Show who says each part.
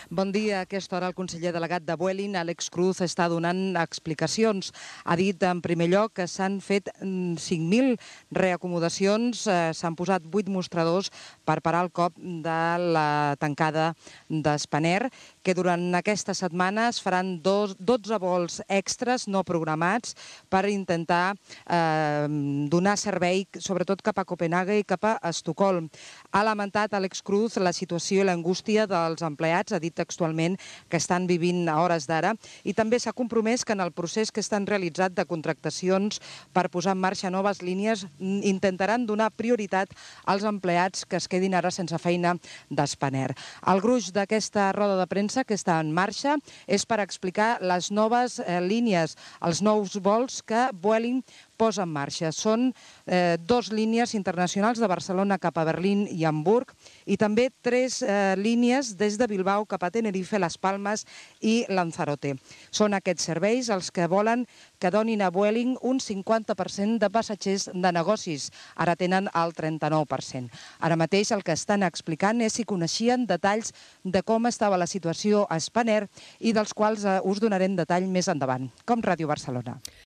Speaker 1: Bon dia. A aquesta hora el conseller delegat de Vueling, Àlex Cruz, està donant explicacions. Ha dit, en primer lloc, que s'han fet 5.000 reacomodacions, s'han posat 8 mostradors per parar el cop de la tancada d'Spanair, que durant aquesta setmana es faran 12 vols extres no programats per intentar donar servei, sobretot cap a Copenhague i cap a Estocolm. Ha lamentat Àlex Cruz la situació i l'angústia dels empleats, ha dit textualment que estan vivint a hores d'ara, i també s'ha compromès que en el procés que estan realitzat de contractacions per posar en marxa noves línies intentaran donar prioritat als empleats que es quedin ara sense feina d'Spanair. El gruix d'aquesta roda de premsa que està en marxa és per explicar les noves línies, els nous vols que Vueling posa en marxa. Són 2 línies internacionals de Barcelona cap a Berlín i Hamburg i també 3 línies des de Bilbao cap a Tenerife, Les Palmes i Lanzarote. Són aquests serveis els que volen que donin a Vueling un 50% de passatgers de negocis. Ara tenen el 39%. Ara mateix el que estan explicant és si coneixien detalls de com estava la situació a Spanair i dels quals us donarem detall més endavant, com Ràdio Barcelona.